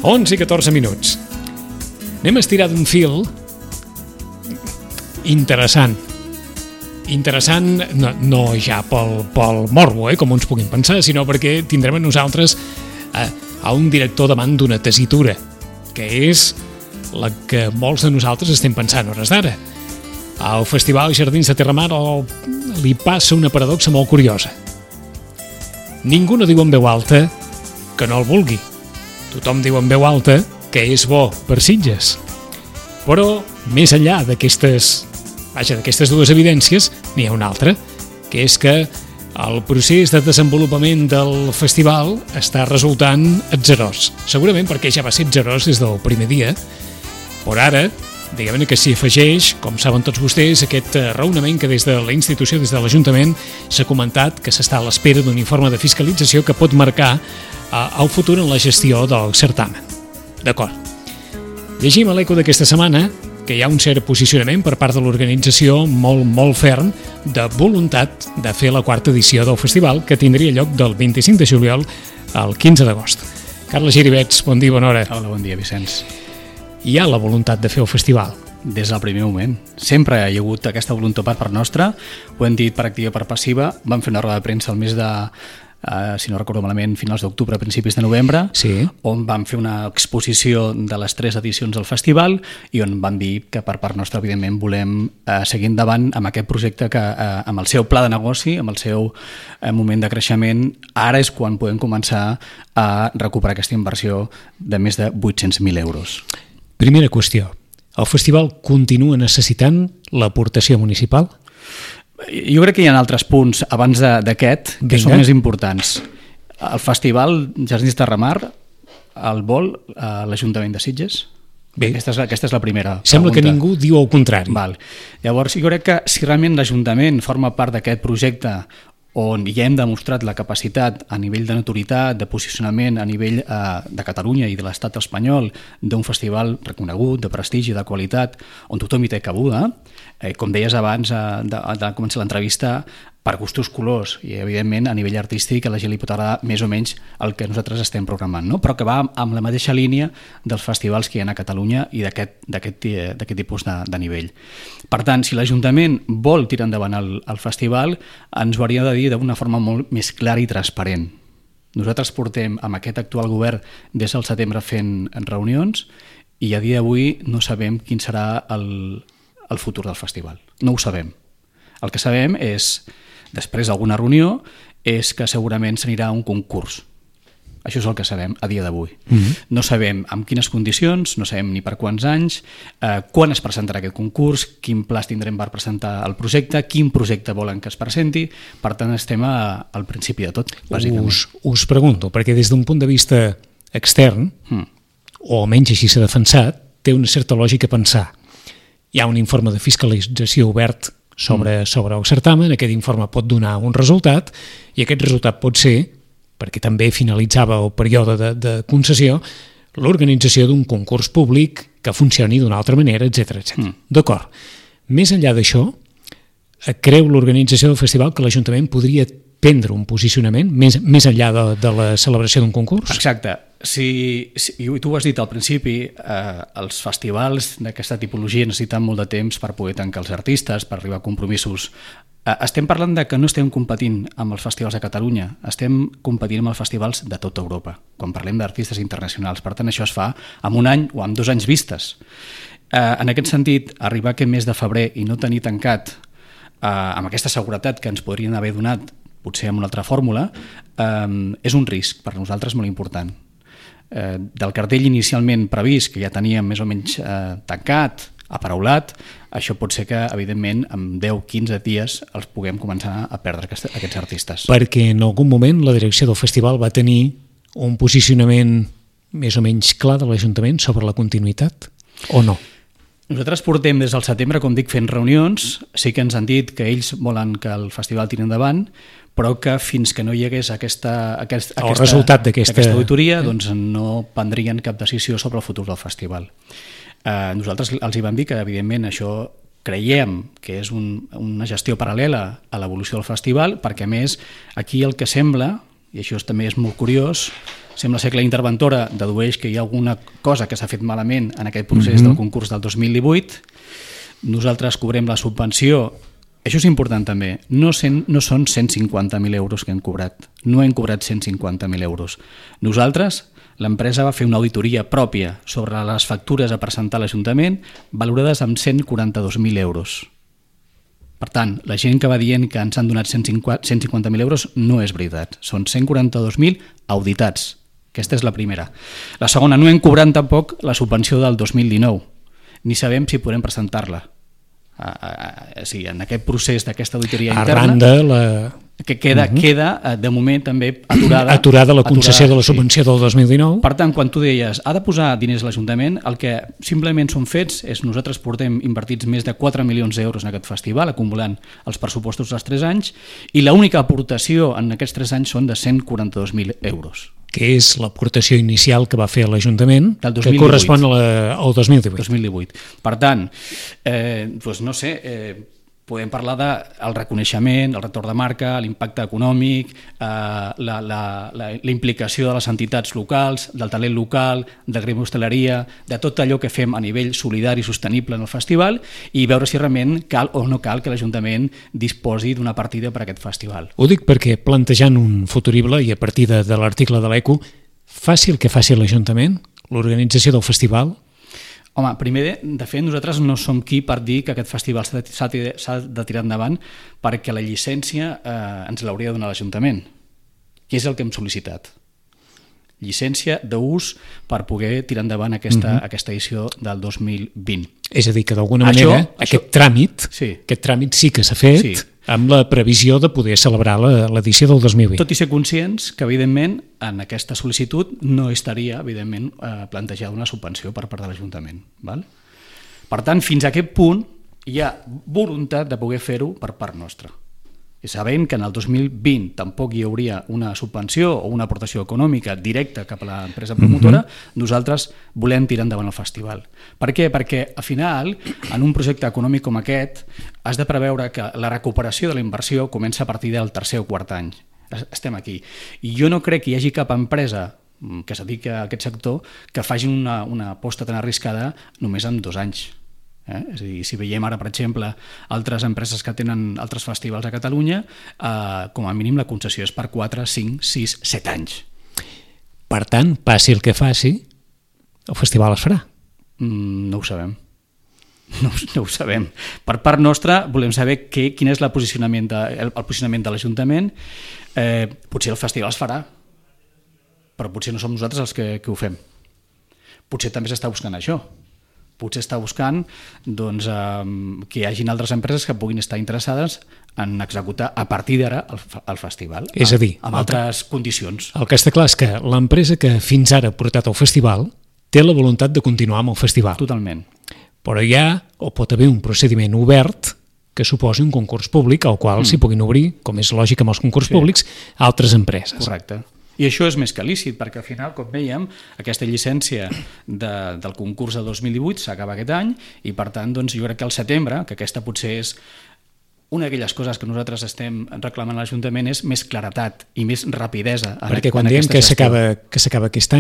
11 i 14 minuts. Anem a estirar d'un fil interessant. Interessant no ja pel morbo, com uns puguin pensar, sinó perquè tindrem a nosaltres a un director davant d'una tessitura, que és la que molts de nosaltres estem pensant a hores d'ara. Al Festival Jardins de Terramar li passa una paradoxa molt curiosa. Ningú no diu en veu alta que no el vulgui. Tothom diu en veu alta que és bo per Sitges. Però, més enllà d'aquestes dues evidències, n'hi ha una altra, que és que el procés de desenvolupament del festival està resultant atzerós. Segurament perquè ja va ser atzerós des del primer dia, però ara, diguem-ne que s'hi afegeix, com saben tots vostès, aquest raonament que des de la institució, des de l'Ajuntament, s'ha comentat que s'està a l'espera d'un informe de fiscalització que pot marcar el futur en la gestió del certamen. D'acord. Llegim a l'Eco d'aquesta setmana que hi ha un cert posicionament per part de l'organització molt ferm de voluntat de fer la quarta edició del festival, que tindria lloc del 25 de juliol al 15 d'agost. Carles Giribets, bon dia, bona hora. Hola, bon dia, Vicenç. Hi ha la voluntat de fer el festival? Des del primer moment. Sempre hi ha hagut aquesta voluntat per part nostra, ho hem dit per activa i per passiva. Vam fer una roda de premsa al mes de, si no recordo malament, finals d'octubre, principis de novembre, sí, on vam fer una exposició de les 3 edicions del festival i on vam dir que per part nostra, evidentment, volem seguir endavant amb aquest projecte que, amb el seu pla de negoci, amb el seu moment de creixement, ara és quan podem començar a recuperar aquesta inversió de més de 800.000 euros. Primera qüestió, el festival continua necessitant l'aportació municipal? Jo crec que hi ha altres punts abans d'aquest que són més importants. El festival Jardins de Terramar el vol l'Ajuntament de Sitges? Bé, aquesta és la primera sembla pregunta. Que ningú diu el contrari. Val. Llavors, jo crec que si realment l'Ajuntament forma part d'aquest projecte on ja hem demostrat la capacitat a nivell de notorietat, de posicionament a nivell de Catalunya i de l'estat espanyol d'un festival reconegut, de prestigi, de qualitat, on tothom hi té cabuda, com deies abans de començar l'entrevista, per gustos colors i evidentment a nivell artístic a la gent li pot agradar més o menys el que nosaltres estem programant, no? Però que va amb la mateixa línia dels festivals que hi ha a Catalunya i d'aquest tipus de nivell. Per tant, si l'Ajuntament vol tirar endavant el festival, ens ho hauria de dir d'una forma molt més clara i transparent. Nosaltres portem amb aquest actual govern des del setembre fent reunions i a dia d'avui no sabem quin serà el futur del festival. No ho sabem. El que sabem és, després d'alguna reunió, és que segurament s'anirà a un concurs. Això és el que sabem a dia d'avui. No sabem amb quines condicions, no sabem ni per quants anys, quan es presentarà aquest concurs, quin pla tindrem per presentar el projecte, quin projecte volen que es presenti. Per tant, estem al principi de tot, bàsicament. Us pregunto, perquè des d'un punt de vista extern, o almenys així s'ha defensat, té una certa lògica pensar. Hi ha un informe de fiscalització obert sobre el certamen, aquest informe pot donar un resultat i aquest resultat pot ser, perquè també finalitzava el període de concessió, l'organització d'un concurs públic que funcioni d'una altra manera, etc. D'acord. Més enllà d'això, creu l'organització del festival que l'Ajuntament podria prendre un posicionament més enllà de la celebració d'un concurs? Exacte. Si tu ho has dit al principi, els festivals d'aquesta tipologia necessiten molt de temps per poder tancar els artistes, per arribar a compromisos. Estem parlant de que no estem competint amb els festivals de Catalunya, estem competint amb els festivals de tota Europa, quan parlem d'artistes internacionals. Per tant, això es fa en un any o en 2 anys vistes. En aquest sentit, arribar aquest mes de febrer i no tenir tancat amb aquesta seguretat que ens podrien haver donat, potser amb una altra fórmula, és un risc per nosaltres molt important. Del cartell inicialment previst, que ja teníem més o menys tancat, aparaulat, això pot ser que, evidentment, en 10-15 dies els puguem començar a perdre aquests artistes. Perquè en algun moment la direcció del festival va tenir un posicionament més o menys clar de l'Ajuntament sobre la continuïtat, o no? Nosaltres portem des del setembre, com dic, fent reunions. Sí que ens han dit que ells volen que el festival tiri endavant, però que fins que no hi hagués aquesta auditoria, doncs no prendrien cap decisió sobre el futur del festival. Nosaltres els hi vam dir que, evidentment, això creiem que és una gestió paral·lela a l'evolució del festival, perquè, a més, aquí el que sembla, i això també és molt curiós, Sembla ser que la interventora dedueix que hi ha alguna cosa que s'ha fet malament en aquest procés del concurs del 2018. Nosaltres cobrem la subvenció. Això és important també. No són 150.000 euros que hem cobrat. No hem cobrat 150.000 euros. Nosaltres, l'empresa va fer una auditoria pròpia sobre les factures a presentar a l'Ajuntament valorades amb 142.000 euros. Per tant, la gent que va dient que ens han donat 150.000 euros no és veritat. Són 142.000 auditats. Aquesta és la primera. La segona, no hem cobrat tampoc la subvenció del 2019. Ni sabem si podem presentar-la. Sí, en aquest procés d'aquesta auditoria interna, arran de que queda de moment també aturada la concessió de la subvenció del 2019. Per tant, quan tu deies ha de posar diners a l'Ajuntament, el que simplement són fets és nosaltres portem invertits més de 4 milions d'euros en aquest festival, acumulant els pressupostos dels 3 anys, i l'única aportació en aquests 3 anys són de 142.000 euros. Que és l'aportació inicial que va fer l'Ajuntament, que 2018. correspon al 2018. 2018. Per tant, doncs no sé, podem parlar del reconeixement, el retorn de marca, l'impacte econòmic, la implicació de les entitats locals, del talent local, de gremi hostaleria, de tot allò que fem a nivell solidari i sostenible en el festival, i veure si realment cal o no cal que l'Ajuntament disposi d'una partida per a aquest festival. Ho dic perquè, plantejant un futurible i a partir de l'article de l'ECO, faci el que faci l'Ajuntament, l'organització del festival. Home, primer, de fet, nosaltres no som qui per dir que aquest festival s'ha de tirar endavant, perquè la llicència ens l'hauria de donar l'Ajuntament, que és el que hem sol·licitat. Llicència d'ús per poder tirar endavant aquesta edició del 2020. És a dir, que d'alguna manera aquest tràmit sí que s'ha fet amb la previsió de poder celebrar l'edició del 2020. Tot i ser conscients que, evidentment, en aquesta sol·licitud no estaria, evidentment, plantejada una subvenció per part de l'Ajuntament. Per tant, fins a aquest punt hi ha voluntat de poder fer-ho per part nostra. I sabent que en el 2020 tampoc hi hauria una subvenció o una aportació econòmica directa cap a l'empresa promotora, nosaltres volem tirar endavant el festival. Per què? Perquè, al final, en un projecte econòmic com aquest, has de preveure que la recuperació de la inversió comença a partir del tercer o quart any. Estem aquí. I jo no crec que hi hagi cap empresa que es dediqui a aquest sector que faci una aposta tan arriscada només en 2 anys. És a dir, si veiem ara, per exemple, altres empreses que tenen altres festivals a Catalunya, com a mínim la concessió és per 4, 5, 6, 7 anys. Per tant, passi el que faci, el festival es farà. No ho sabem. No ho sabem. Per part nostra volem saber quin és el posicionament de l'Ajuntament. Potser el festival es farà, però potser no som nosaltres els que ho fem. Potser també s'està buscant això. Potser està buscant que hi hagin altres empreses que puguin estar interessades en executar a partir d'ara el festival. És a dir, amb altres condicions. El que està clar és que l'empresa que fins ara ha portat el festival té la voluntat de continuar amb el festival. Totalment. Però hi ha o pot haver un procediment obert que suposi un concurs públic al qual s'hi puguin obrir, com és lògic amb els concurs públics, altres empreses. Correcte. I això és més que lícit, perquè al final, com veiem, aquesta llicència del concurs del 2018 s'acaba aquest any i, per tant, jo crec que al setembre, que aquesta potser és una d'aquelles coses que nosaltres estem reclamant a l'Ajuntament, és més claretat i més rapidesa. Perquè quan diem que s'acaba aquest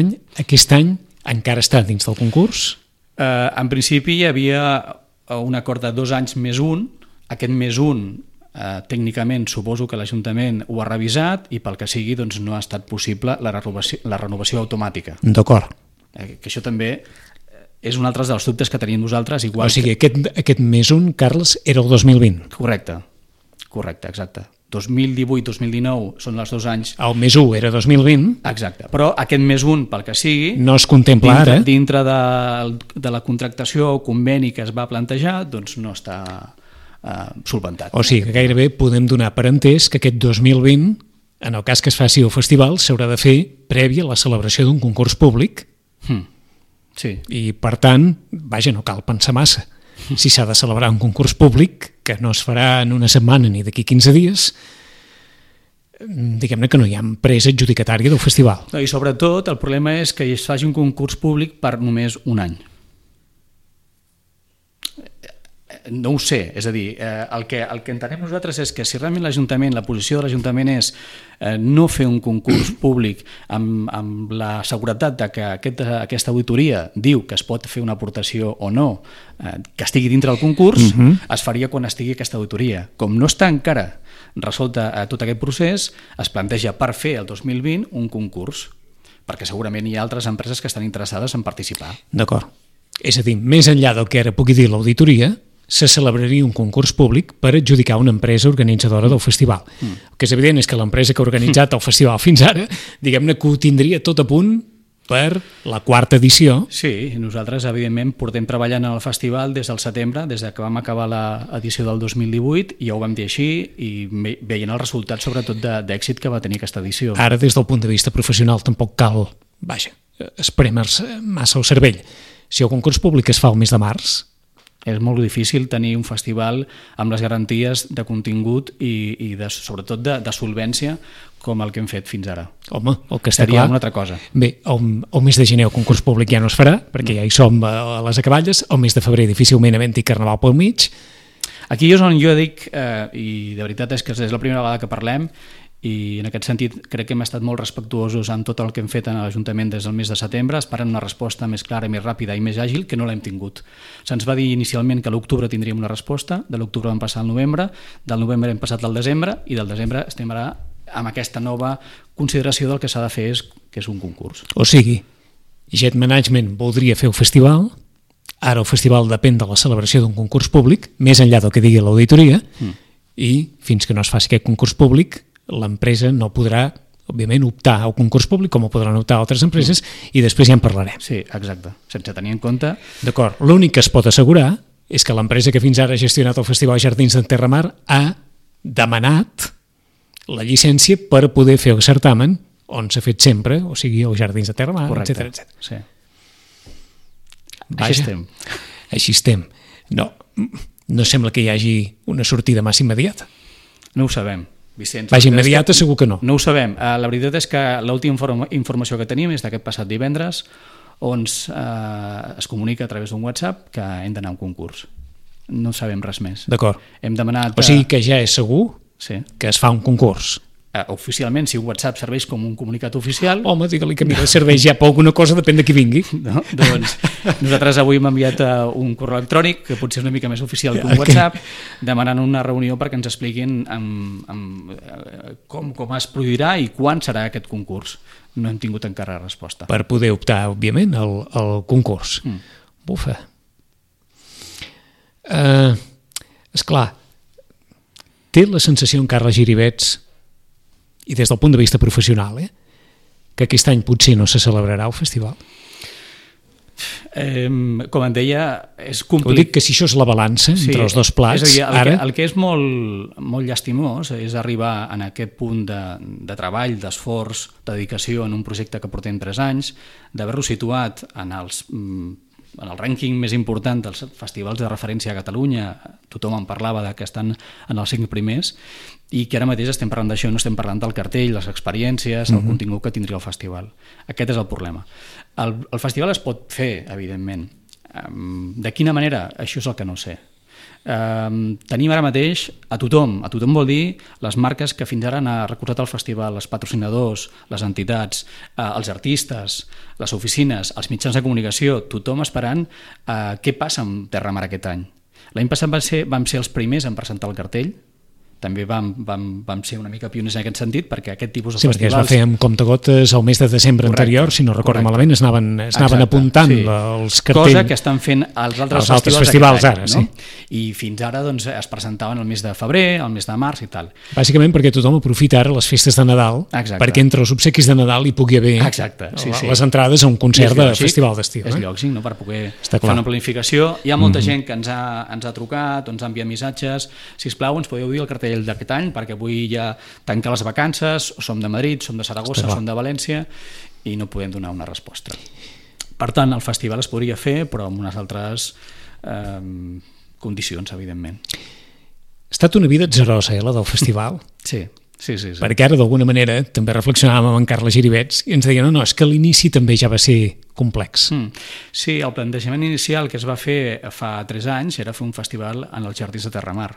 any encara està dins del concurs? En principi hi havia un acord de 2 anys més un. Aquest més un tècnicament suposo que l'Ajuntament ho ha revisat i pel que sigui no ha estat possible la renovació automàtica. D'acord. Que això també és un altre dels dubtes que tenim nosaltres. O sigui, aquest més un, Carles, era el 2020. Correcte, exacte. 2018-2019 són els 2 anys. El més 1 era 2020. Exacte, però aquest més 1, pel que sigui, no es contempla ara. Dintre de la contractació o conveni que es va plantejar, no està solventat. O sigui, que gairebé podem donar per entès que aquest 2020, en el cas que es faci el festival, s'haurà de fer prèvia a la celebració d'un concurs públic. Sí. I, per tant, no cal pensar massa. Si s'ha de celebrar un concurs públic, que no es farà en una setmana ni d'aquí 15 dies, diguem-ne que no hi ha empresa adjudicatària del festival. I sobretot el problema és que es faci un concurs públic per només un any. No ho sé, és a dir, el que entenem nosaltres és que si realment l'Ajuntament, la posició de l'Ajuntament és no fer un concurs públic amb la seguretat de que aquesta auditoria diu que es pot fer una aportació o no, que estigui dintre del concurs, es faria quan estigui aquesta auditoria. Com no està encara resolta tot aquest procés, es planteja per fer el 2020 un concurs, perquè segurament hi ha altres empreses que estan interessades en participar. D'acord. És a dir, més enllà del que ara pugui dir l'auditoria, se celebraria un concurs públic per adjudicar una empresa organitzadora del festival. El que és evident és que l'empresa que ha organitzat el festival fins ara, diguem-ne que ho tindria tot a punt per la quarta edició. Sí, nosaltres evidentment portem treballant en el festival des del setembre, des que vam acabar l'edició del 2018, i ja ho vam dir així, i veient el resultat sobretot d'èxit que va tenir aquesta edició. Ara, des del punt de vista professional, tampoc cal, esprémer-se massa el cervell. Si el concurs públic es fa el mes de març... És molt difícil tenir un festival amb les garanties de contingut i sobretot de solvència com el que hem fet fins ara. Home, el que està seria clar... una altra cosa. Bé, el mes de gener el concurs públic ja no es farà, perquè ja hi som a les acaballes. El mes de febrer difícilment havent-hi Carnaval pel mig. Aquí és on jo dic, i de veritat és que és la primera vegada que parlem, i en aquest sentit crec que hem estat molt respectuosos amb tot el que hem fet en l'Ajuntament des del mes de setembre, esperant una resposta més clara, més ràpida i més àgil, que no l'hem tingut. Se'ns va dir inicialment que a l'octubre tindríem una resposta, de l'octubre vam passar al novembre, del novembre hem passat al desembre, i del desembre estem ara amb aquesta nova consideració del que s'ha de fer, que és un concurs. O sigui, Jet Management voldria fer el festival, ara el festival depèn de la celebració d'un concurs públic, més enllà del que digui l'auditoria, i fins que no es faci aquest concurs públic, l'empresa no podrà, òbviament, optar al concurs públic com ho podran optar altres empreses, i després ja en parlarem. Sí, exacte, sense tenir en compte... D'acord, l'únic que es pot assegurar és que l'empresa que fins ara ha gestionat el Festival Jardins d'Enterramar ha demanat la llicència per poder fer el certamen on s'ha fet sempre, o sigui, els Jardins de Terramar, etc. Sí. Vaja, així estem. Així estem. No sembla que hi hagi una sortida massa immediata. No ho sabem, Vicenç. Vaja, immediata segur que no. No ho sabem. La veritat és que l'última informació que tenim és d'aquest passat divendres, on es comunica a través d'un WhatsApp que hem d'anar a un concurs. No sabem res més. D'acord. Hem demanat... O sigui que ja és segur que es fa un concurs. Oficialment, si un WhatsApp serveix com un comunicat oficial... Home, digue-li que mira, serveix ja per alguna cosa, depèn de qui vingui. No? Doncs nosaltres avui hem enviat un correu electrònic, que potser és una mica més oficial que un WhatsApp, demanant una reunió perquè ens expliquin com es produirà i quan serà aquest concurs. No hem tingut encara resposta. Per poder optar, òbviament, al concurs. Bufa. Esclar, té la sensació en Carles Giribets, i des del punt de vista professional, que aquest any potser no se celebrarà el festival? Com em deia, és complicat. Ho dic que si això és la balança entre els dos plats... És a dir, el que és molt llastimós és arribar en aquest punt de treball, d'esforç, de dedicació en un projecte que portem 3 anys, d'haver-lo situat en el rànquing més important dels festivals de referència a Catalunya. Tothom en parlava que estan en els 5 primers, i que ara mateix estem parlant d'això, no estem parlant del cartell, les experiències, el contingut que tindria el festival. Aquest és el problema. El festival es pot fer, evidentment. De quina manera? Això és el que no sé. Tenim ara mateix a tothom vol dir les marques que fins ara han recolzat el festival, els patrocinadors, les entitats, els artistes, les oficines, els mitjans de comunicació, tothom esperant què passa amb Terramar aquest any. L'any passat vam ser els primers en presentar el cartell, també vam ser una mica pioners en aquest sentit, perquè aquest tipus de festivals... Sí, perquè es va fer amb comptagotes el mes de desembre anterior, si no recordo malament, es anaven apuntant els cartells. Cosa que estan fent els altres festivals ara, sí. I fins ara es presentaven el mes de febrer, el mes de març i tal. Bàsicament perquè tothom aprofita ara les festes de Nadal, perquè entre els obsequis de Nadal hi pugui haver les entrades a un concert de festival d'estiu. És lògic, per poder fer una planificació. Hi ha molta gent que ens ha trucat, ens ha enviat missatges, sisplau, ens podeu dir el cartell d'aquest any, perquè avui ja tancar les vacances, som de Madrid, som de Saragossa, som de València, i no podem donar una resposta. Per tant, el festival es podria fer, però amb unes altres condicions, evidentment. Ha estat una vida atzerosa, la del festival. Sí. Sí. Perquè ara, d'alguna manera, també reflexionàvem amb en Carles Giribets i ens deia, no, és que l'inici també ja va ser complex. Sí, el plantejament inicial que es va fer fa 3 anys era fer un festival en els Jardins de Terramar.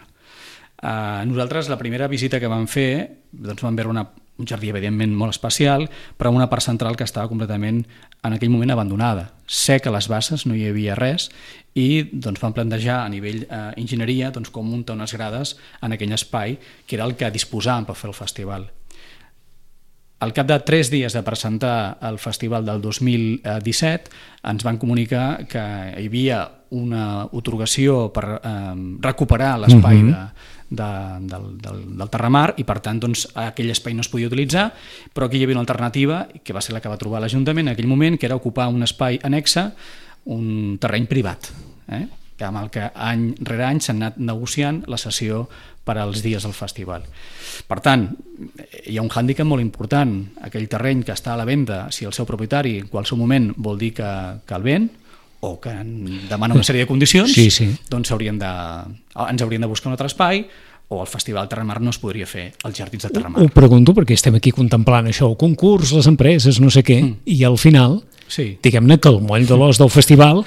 Nosaltres, la primera visita que vam fer, doncs vam veure un jardí evidentment molt especial, però amb una part central que estava completament en aquell moment abandonada, seca a les basses, no hi havia res, i doncs vam plantejar a nivell enginyeria doncs, com muntar unes grades en aquell espai que era el que disposàvem per fer el festival. Al cap de 3 dies de presentar el festival del 2017 ens van comunicar que hi havia una atorgació per recuperar l'espai del Terramar i per tant doncs, aquell espai no es podia utilitzar, però aquí hi havia una alternativa que va ser la que va trobar l'Ajuntament en aquell moment, que era ocupar un espai annexe, un terreny privat, amb el que any rere any s'han anat negociant la cessió per als dies del festival. Per tant, hi ha un hàndicap molt important. Aquell terreny que està a la venda, si el seu propietari en qualsevol moment vol dir que el ven o que demana una sèrie de condicions, doncs ens haurien de buscar un altre espai o el Festival Terramar no es podria fer als Jardins de Terramar. Ho pregunto perquè estem aquí contemplant això, el concurs, les empreses, no sé què, i al final, diguem-ne que el moll de l'os del festival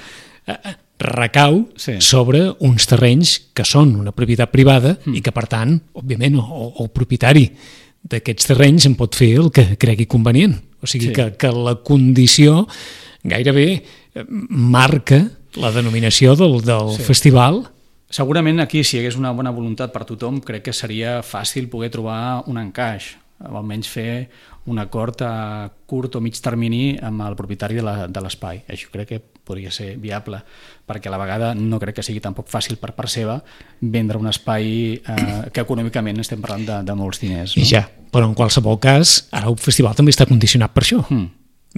recau sobre uns terrenys que són una propietat privada i que, per tant, òbviament, el propietari d'aquests terrenys en pot fer el que cregui convenient. O sigui que la condició gairebé marca la denominació del festival. Segurament aquí, si hi hagués una bona voluntat per tothom, crec que seria fàcil poder trobar un encaix, o almenys fer un acord a curt o mig termini amb el propietari de l'espai. Això crec que podria ser viable, perquè a la vegada no crec que sigui tampoc fàcil per part seva vendre un espai que econòmicament estem parlant de molts diners. No? Ja, però en qualsevol cas, ara el festival també està condicionat per això.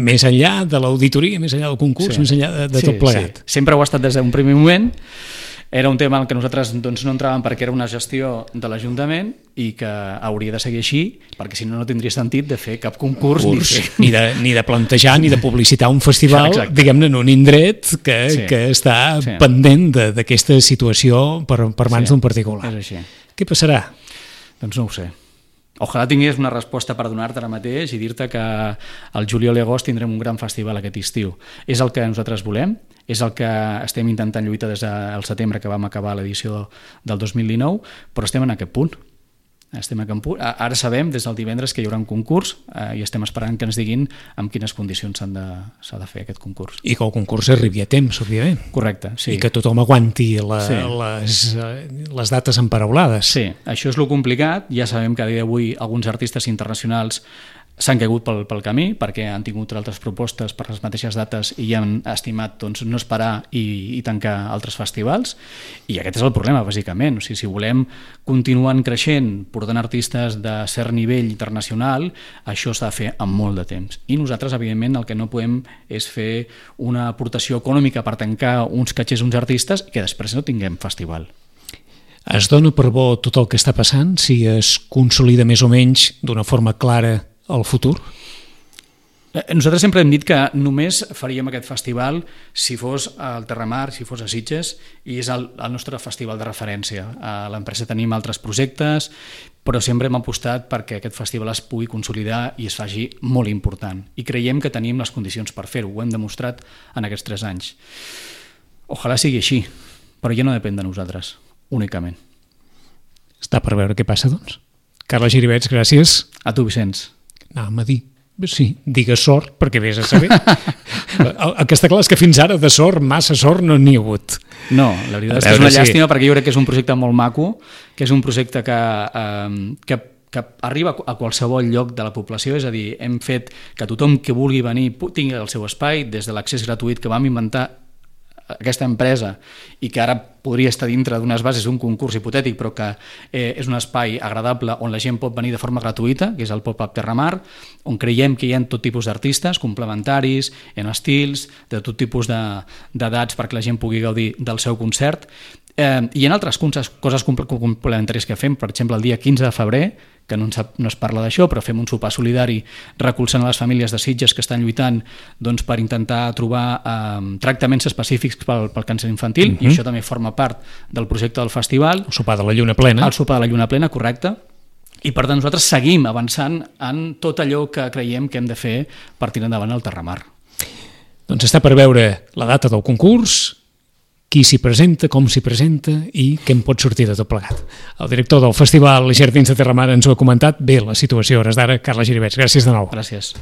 Més enllà de l'auditoria, més enllà del concurs, més enllà de tot plegat. Sempre ho ha estat des d'un primer moment. Era un tema en què nosaltres doncs, no entràvem perquè era una gestió de l'Ajuntament i que hauria de seguir així, perquè si no, no tindria sentit de fer cap concurs ni de plantejar ni de publicitar un festival, diguem-ne, en un indret que està pendent d'aquesta situació per mans d'un particular. És així. Què passarà? Doncs no ho sé. Ojalà tingués una resposta per donar-te ara mateix i dir-te que al juliol i agost tindrem un gran festival aquest estiu. És el que nosaltres volem, és el que estem intentant lluitar des del setembre que vam acabar l'edició del 2019, però estem en aquest punt. Ara sabem des del divendres que hi haurà un concurs i estem esperant que ens diguin amb quines condicions s'ha de fer aquest concurs. I que el concurs arribi a temps, òbviament. Correcte, sí. I que tothom aguanti les dates emparaulades. Sí, això és lo complicat. Ja sabem que a dia d'avui alguns artistes internacionals s'han caigut pel camí perquè han tingut altres propostes per les mateixes dates i han estimat doncs, no esperar i tancar altres festivals, i aquest és el problema bàsicament. O sigui, si volem continuar creixent portant artistes de cert nivell internacional, això s'ha de fer amb molt de temps, i nosaltres evidentment el que no podem és fer una aportació econòmica per tancar uns catxers uns artistes i que després no tinguem festival. Es dona per bo tot el que està passant si es consolida més o menys d'una forma clara el futur? Nosaltres sempre hem dit que només faríem aquest festival si fos al Terramar, si fos a Sitges, i és el nostre festival de referència. A l'empresa tenim altres projectes, però sempre hem apostat perquè aquest festival es pugui consolidar i es faci molt important. I creiem que tenim les condicions per fer-ho, ho hem demostrat en aquests 3 anys. Ojalà sigui així, però ja no depèn de nosaltres, únicament. Està per veure què passa, doncs. Carles Giribets, gràcies. A tu, Vicenç. Anàvem a dir, sí, digues sort, perquè vés a saber. El que està clar és que fins ara de sort, massa sort, no n'hi ha hagut. No, la veritat és que és una llàstima, perquè jo crec que és un projecte molt maco, que és un projecte que arriba a qualsevol lloc de la població, és a dir, hem fet que tothom que vulgui venir tingui el seu espai, des de l'accés gratuït que vam inventar aquesta empresa i que ara podria estar dintre d'unes bases d'un concurs hipotètic, però que és un espai agradable on la gent pot venir de forma gratuïta, que és el Pop-Up Terramar, on creiem que hi ha tot tipus d'artistes complementaris, en estils, de tot tipus d'edats perquè la gent pugui gaudir del seu concert. Hi ha altres coses complementàries que fem, per exemple el dia 15 de febrer, que no es parla d'això, però fem un sopar solidari recolzant a les famílies de Sitges que estan lluitant doncs, per intentar trobar tractaments específics pel càncer infantil, i això també forma part del projecte del festival. El sopar de la lluna plena. El sopar de la lluna plena, correcte. I per tant nosaltres seguim avançant en tot allò que creiem que hem de fer per tirar endavant el Terramar. Doncs està per veure la data del concurs, qui s'hi presenta, com s'hi presenta i què en pot sortir de tot plegat. El director del Festival Jardins de Terramar ens ho ha comentat bé la situació a hores d'ara, Carles Giribets. Gràcies de nou. Gràcies.